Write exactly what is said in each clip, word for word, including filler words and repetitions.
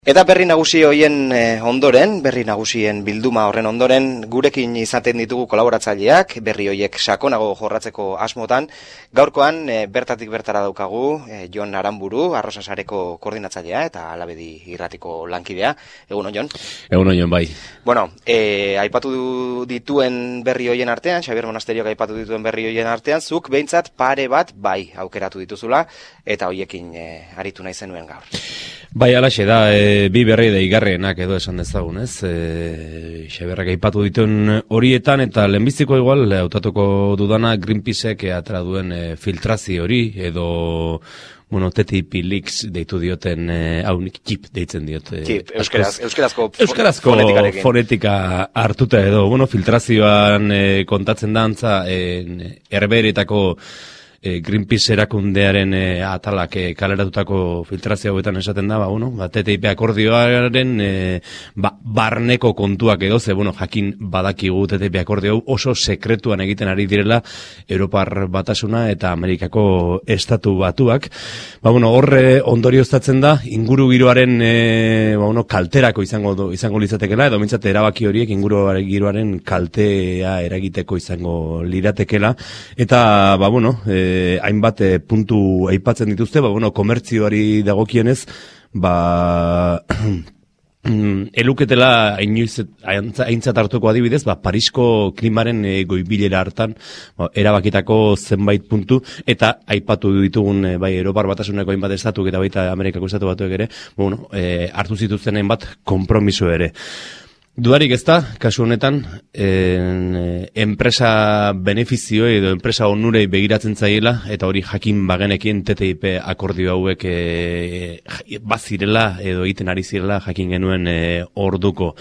Eta berri nagusi hoien ondoren, berri nagusien bilduma horren ondoren, gurekin izaten ditugu kolaboratzaileak, berri hoiek sakonago jorratzeko asmotan. Gaurkoan, e, bertatik bertara daukagu, e, Jon Aranburu, Arrosasareko koordinatzailea eta Alabedi irratiko lankidea. Egun on, Jon? Egun on, Jon, bai. Bueno, e, aipatu dituen berri hoien artean, Xabier Monasteriok aipatu dituen berri hoien artean, zuk behintzat pare bat bai aukeratu dituzula, eta hoiekin e, aritu nahi zenuen gaur. Bai, alaxe da, e, bi berri deigarrienak edo esan dezagun, ez? E, Xaberrak aipatu dituen horietan, eta lehenbiziko igual, hautatuko dudana Greenpeaceek atera duen e, filtrazio hori, edo, bueno, T T I P leaks deitu dioten, hau e, chip deitzen diot. E, chip, euskeraz, euskerazko, euskarazko fonetika hartuta edo, bueno, filtrazioan e, kontatzen da antza, e, herberetako E, Greenpeace erakundearen e, atalak e, kaleratutako filtrazio hauetan esaten da, ba, bueno, ba, T T I P akordioaren e, ba, barneko kontuak edo, ze, bueno, jakin badakigu T T I P akordio oso sekretuan egiten ari direla Europar Batasuna eta Amerikako Estatu Batuak. Ba, bueno, horre ondorioztatzen da, inguru giroaren e, ba, bueno, kalterako izango, izango litzatekela, edo mintzat erabaki horiek inguru giroaren kaltea eragiteko izango liratekela, eta, ba, bueno, e, hainbat e, puntu aipatzen dituzte, ba, bueno, komertzioari dagokienez, ba, eluketela aintzat hartuko adibidez, ba, Parisko klimaren e, goibilera hartan, ba, erabakitako zenbait puntu, eta aipatu ditugun e, bai, Europar Batasuneko hainbat estatuk eta baita Amerikako Estatu Batuek ere, bueno, e, hartu zituzten hainbat konpromiso ere. Dudarik ez da, kasu honetan, en, enpresa benefizio edo enpresa onurei begiratzen zaiela, eta hori jakin bagenekin T T I P akordio hauek e, bazirela edo egiten ari zirela jakin genuen e, orduko.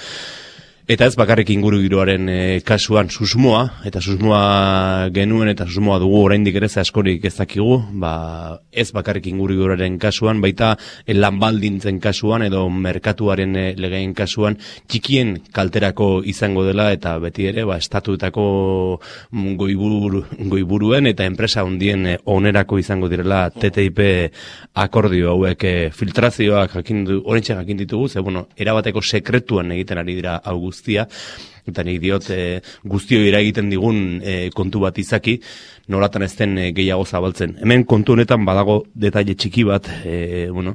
Eta ez bakarrik inguru giroaren e, kasuan susmoa, eta susmoa genuen eta susmoa dugu oraindik ere askorik ez dakigu, ba, ez bakarrik inguru giroaren kasuan, baita e, lanbaldintzen kasuan edo merkatuaren e, legeen kasuan txikien kalterako izango dela, eta beti ere ba, estatuetako goiburu, goiburuen eta enpresa handien e, onerako izango direla T T I P akordio hauek e, filtrazioak jakin du, orentxe jakin ditugu, ze bueno, erabateko sekretuan egiten ari dira hau guztia, eta nik diot e, guztio eragiten digun e, kontu bat izaki, nolatan ez den e, gehiago zabaltzen. Hemen kontu honetan badago detaile txiki bat, e, bueno,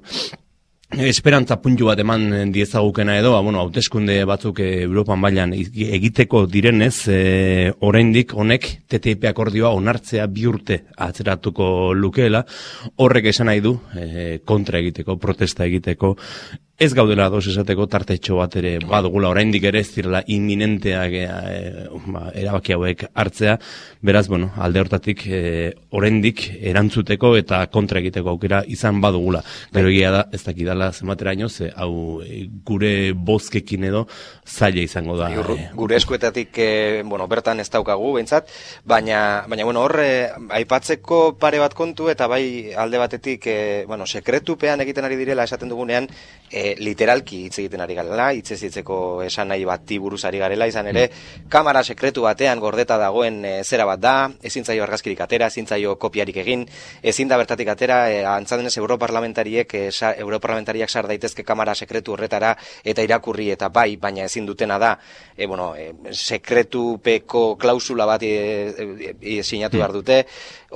esperantza puntu bat eman diezagukena edo, bueno, hauteskunde batzuk e, Europan mailan egiteko direnez, e, oraindik honek T T I P akordioa onartzea bi urte atzeratuko lukeela, horrek esan nahi du e, kontra egiteko, protesta egiteko, ez gaudela ados esateko tartetxo bat ere badugula, oraindik ere ez direla inminenteak e, ba, erabaki hauek hartzea, beraz, bueno, alde hortatik e, oraindik erantzuteko eta kontra egiteko aukera izan badugula. Gero egia da, ez dakidala zenbateraino, ze hau e, gure bozkekin edo zaila izango da. E, gure eskuetatik, e, bueno, bertan ez daukagu, behintzat, baina, baina bueno, hor, e, aipatzeko pare bat kontu, eta bai alde batetik, e, bueno, sekretupean egiten ari direla esaten dugunean, e, literalki hitz egiten ari garela, hitzez hitzeko esan nahi bati buruz ari garela, izan ere, mm. kamara sekretu batean gordeta dagoen e, zera bat da, ezin zaio argazkirik atera, ezin zaio kopiarik egin, ezin da bertatik atera, e, antzadenez europarlamentariek, e, sa, europarlamentariak sar daitezke kamara sekretu horretara eta irakurri eta bai, baina ezin dutena da, e, bueno, e, sekretupeko klausula bat e, e, e, sinatu behar dute,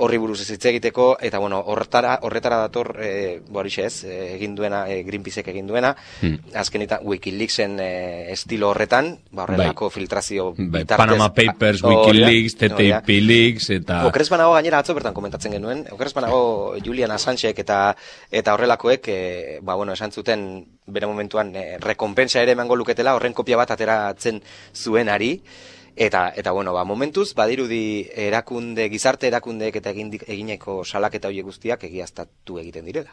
horri buruz ez hitz egiteko, eta bueno, horretara, horretara dator, e, borixe ez, e, egin duena, e, Greenpeaceek egin duena, Hmm. azken eta Wikileaksen e, estilo horretan, ba horrelako bai. filtrazio bai. Panama Papers, oh, Wikileaks, T T I P oh, Leaks, eta... Okrez banago gainera atzo bertan komentatzen genuen, okrez banago Julian Assangeek eta eta horrelakoek, e, ba bueno, esan zuten bere momentuan e, rekompensa ere emango luketela, horren kopia bat ateratzen zuenari, Eta, eta bueno, ba, momentuz, badirudi erakunde, gizarte erakundeek eta egineko salaketa horiek guztiak egiaztatu egiten direla.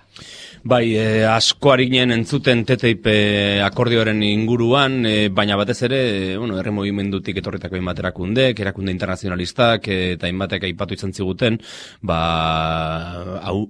Bai, e, asko harinen entzuten T T I P akordioaren inguruan, e, baina batez ere, bueno, herri mugimendutik etorritako hainbat erakundek, erakunde internazionalistak, e, eta hainbatek aipatu izan ziguten, ba, hau,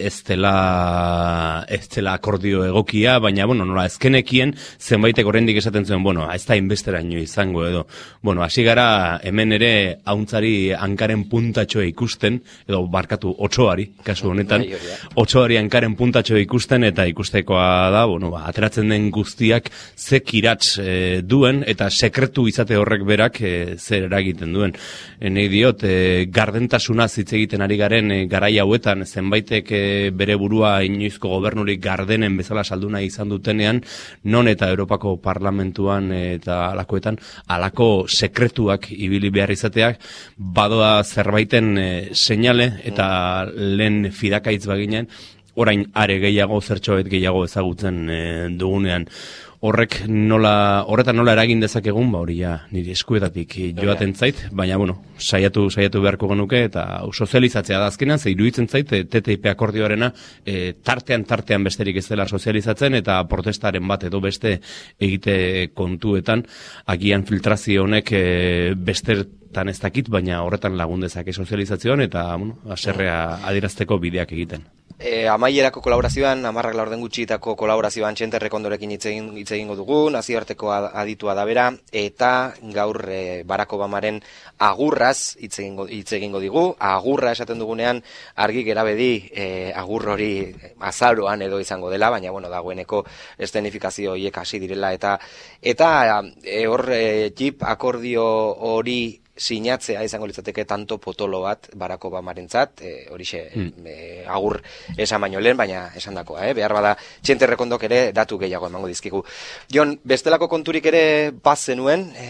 ez dela, ez dela akordio egokia, baina, bueno, nola, ezkenekien, zenbaitek oraindik esaten zuen, bueno, ez da inbesteraino izango edo. Bueno, hasi gara hemen ere hauntzari hankaren puntatxoa ikusten, edo barkatu otsoari, kasu honetan, otsoari hankaren puntatxoa ikusten, eta ikustekoa da, bueno, ba, ateratzen den guztiak ze kiratz e, duen, eta sekretu izate horrek berak e, zer eragiten duen. E, nahi diot, e, gardentasuna hitz egiten ari garen e, garai hauetan, zenbaitek e, bere burua inoizko gobernurik gardenen bezala saldu nahi izan dutenean, non eta Europako Parlamentuan e, eta alakoetan, alako sekretuak ibili behar izateak, badoa zerbaiten e, seinale, eta lehen fidakaitz baginen, orain are gehiago, zertxoet gehiago ezagutzen e, dugunean. Horrek nola, horretan nola eragin dezakegun, ba hori ja, niri eskuetatik joaten zait, baina, bueno, saiatu, saiatu beharko genuke, eta sozializatzea da azkenan, ze iruditzen zait, T T I P akordioarena, e, tartean, tartean besterik ez dela sozializatzen, eta protestaren bat edo beste egite kontuetan, agian filtrazio honek e, bestertan ez dakit, baina horretan lagun dezake sozializazioan, eta, bueno, aserrea adierazteko bideak egiten. E, amaierako kolaborazioan, amarrak laurden gutxietako kolaborazioan Txente Rekondorekin hitz egin, hitz egingo dugu, nazioarteko aditua da bera, eta gaur e, Barack Obamaren agurraz hitz egingo, hitz egingo digu. Agurra esaten dugunean argi gerabedi e, agur hori azaroan edo izango dela, baina bueno, dagoeneko eszenifikazio horiek hasi direla, eta eta e, hor e, Jeep akordio hori sinatzea izango litzateke tanto potolo bat Barack Obamarentzat, e, horixe mm. e, agur esan baino lehen, baina esan dakoa, eh? Behar bada Txente Rekondok ere datu gehiago emango dizkigu. Jon, bestelako konturik ere bazenuen, e,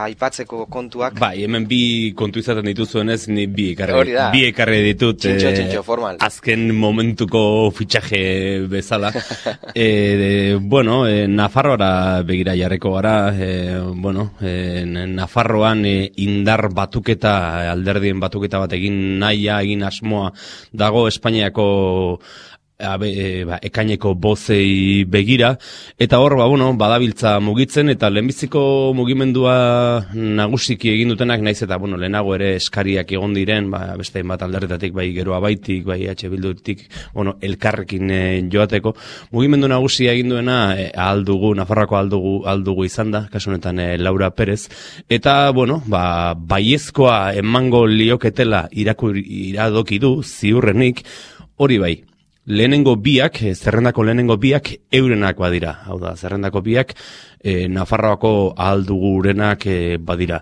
aipatzeko kontuak? Bai, hemen bi kontu izaten dituzuenez, ni bi ekarri, bi ekarri ditut. Txintxo, txintxo, formal. Azken momentuko fitxaje bezala. e, de, bueno, e, Nafarroara begira jarreko gara, e, bueno, e, Nafarroan e, indar batuketa, alderdien batuketa bat egin nahia, egin asmoa dago Espainiako Abe, e, ba, ekaineko bozei begira, eta hor, ba, bueno, badabiltza mugitzen, eta lehenbiziko mugimendua nagusiki egin dutenak, naiz eta, bueno, lehenago ere eskariak egon diren, ba, beste bat alderretatik, bai Geroa Baitik, bai H Bildutik, bueno, elkarrekin e, joateko, mugimendu nagusia egin duena, e, aldugu, Nafarroako aldugu, aldugu izan da, kasu honetan e, Laura Perez, eta, bueno, ba, baiezkoa emango lioketela irakur, iradoki du, ziurrenik, hori bai. Lehenengo biak, zerrendako lehenengo biak eurenak badira. Hau da, zerrendako biak e, Nafarroako ahaldugurenak e, badira.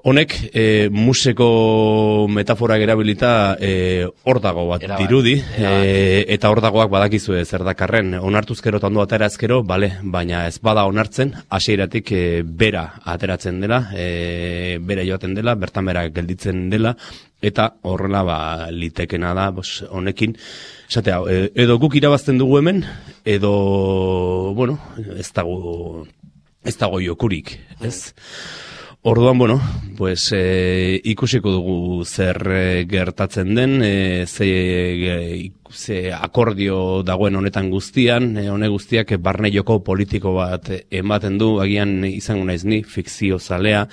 Honek, e, museko metafora erabilita e, ordago bat Era dirudi, e, eta ordagoak badakizue zer dakarren. Onartuzkero eta ondo aterazkero, bale, baina ez bada onartzen, hasieratik e, bera ateratzen dela, e, bera joaten dela, bertan bera gelditzen dela, eta horrela ba, litekena da, bos, honekin, esatea, edo guk irabazten dugu hemen, edo, bueno, ez dago, ez dago jokurik, ez? Orduan, bueno, pues e, ikusiko dugu zer e, gertatzen den, e, ze, e, ze akordio dagoen honetan guztian, e, hone guztiak e, barne joko politiko bat ematen du, agian izango naiz ni, fikzio zalea,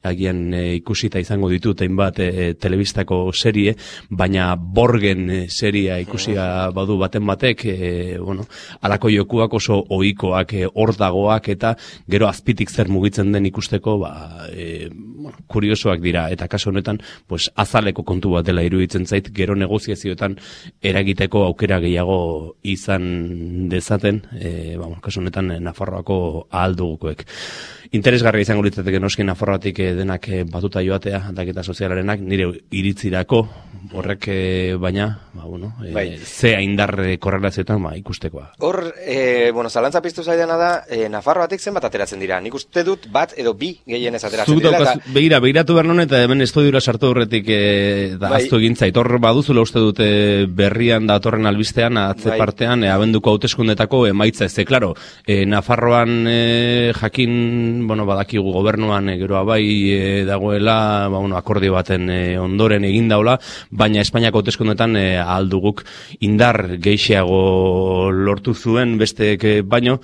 agian e, ikusita izango ditut hainbat e, telebistako serie, baina Borgen e, seria ikusia badu baten batek, e, bueno, alako jokuak oso ohikoak, e, ordagoak, eta gero azpitik zer mugitzen den ikusteko, ba, e, bueno, kuriosoak dira, eta kasu honetan pues, azaleko kontu bat dela iruditzen zait, gero negoziazioetan eragiteko aukera gehiago izan dezaten, e, ba, kasu honetan Nafarroako ahaldugukoek. Interesgarria izango litzateke noski Nafarroatik denak batuta joatea, aldaketa sozialarenak, nire iritzirako, horrek baina, ba, bueno, e, bai. Ze haindar korrelazioetan ba, ikustekoa. Hor, e, bueno, zalantza piztu zaidana da, e, Nafarroatik zenbat ateratzen dira? Nik uste dut bat edo bi gehienez ateratzen dira. Eta... Begira, begiratu behar non, eta hemen estudiora sartu horretik e, da bai. Aztu egin zait. Hor baduzula uste dute berrian datorren albistean, atze bai. Partean, e, abenduko hauteskundetako emaitza ez. Claro, e, Nafarroan e, jakin bueno, badakigu gobernuan e, Geroa Bai e, dagoela, ba, bueno, akordio baten e, ondoren egin daula, baina Espainiako hauteskundetan e, ahalduguk indar geixiago lortu zuen besteek baino,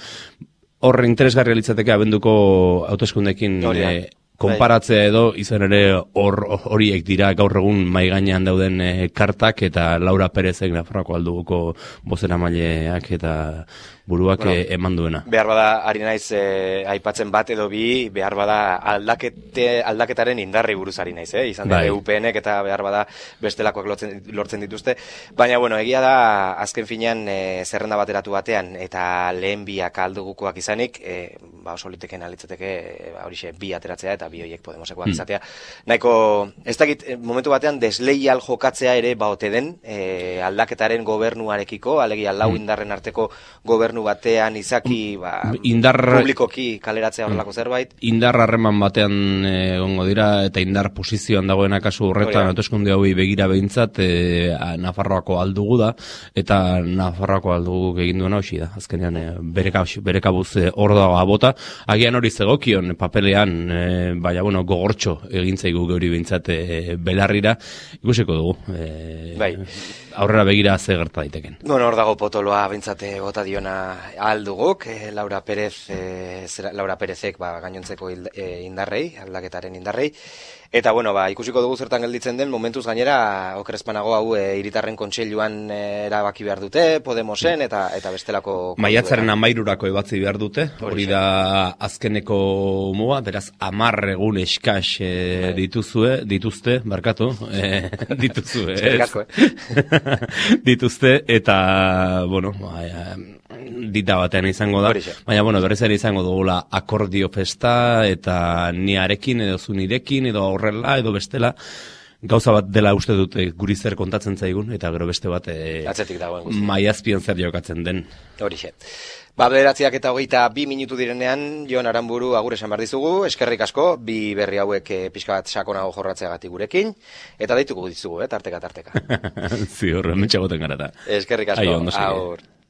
horre interesgarria litzateke abenduko hauteskundekin e, konparatzea edo izan ere hor horiek dira gaur egun mai gainean dauden e, kartak eta Laura Perezek Nafarroako alduguko bozeramaileak eta buruak bueno, e, eman duena. Behar bada, ari naiz e, aipatzen bat edo bi, behar bada aldakete, aldaketaren indarri buruz ari naiz, eh? Izan dira U P Nek eta behar bada bestelakoak lortzen, lortzen dituzte. Baina, bueno, egia da, azken finean e, zerrenda bateratu batean eta lehen biak aldugukoak izanik, e, ba, oso liteken alitzateke e, horixe bi ateratzea eta bi horiek Podemosekoak hmm. izatea. Nahiko, ez dakit, momentu batean desleial jokatzea ere baote den e, aldaketaren gobernuarekiko, alegia lau indarren arteko gobernu batean izaki ba, indar, publikoki kaleratzea horrelako zerbait. Indar harreman batean egongo e, dira eta indar posizioan dagoena kasu horretan hauteskunde hauei begira behintzat e, Nafarroako aldugu da eta Nafarroako aldugu egin duena hoxi da. Azkenean e, bere kabuz hor dago abota. Agian hori zegokion papelean e, baina bueno, gogortxo egintzaigu geuri behintzat e, belarrira ikusiko dugu. E, bai. Aurrera begira ze gerta daiteken. Bueno, hor dago potoloa bentsate bota diona alduguk, eh, Laura Perez, eh, Laura Perezek ba, gainontzeko eh, indarrei, aldaketaren indarrei. Eta, bueno, ba, ikusiko dugu zertan gelditzen den, momentuz gainera, okrespanago hau e, hiritarren kontseiluan e, erabaki behar dute, Podemosen, eta eta bestelako... Maiatzaren amairurako ebatzi behar dute, hori da azkeneko moa, beraz, amar egun eskas e, dituzue, dituzte, barkatu, e, dituzue, ez? dituzte, eta, bueno, ba, dita batean izango da, baina, bueno, berriz ere izango dugula akordio festa, eta niarekin, edo zunirekin, edo horrela, edo bestela, gauza bat dela uste dut guri zer kontatzen zaigun, eta gero beste bat e, atzetik dagoen guzti. Maiazpian zer jokatzen den. Horixe. Ba, bederatziak eta hogeita bi minutu direnean, Jon Aranburu agur esan behar dizugu, eskerrik asko, bi berri hauek e, pixka bat sakonago jorratzeagatik gurekin, eta deituko dizugu, eh, tarteka, tarteka. Ziur, mentxagoten gara da. Eskerrik asko, aur.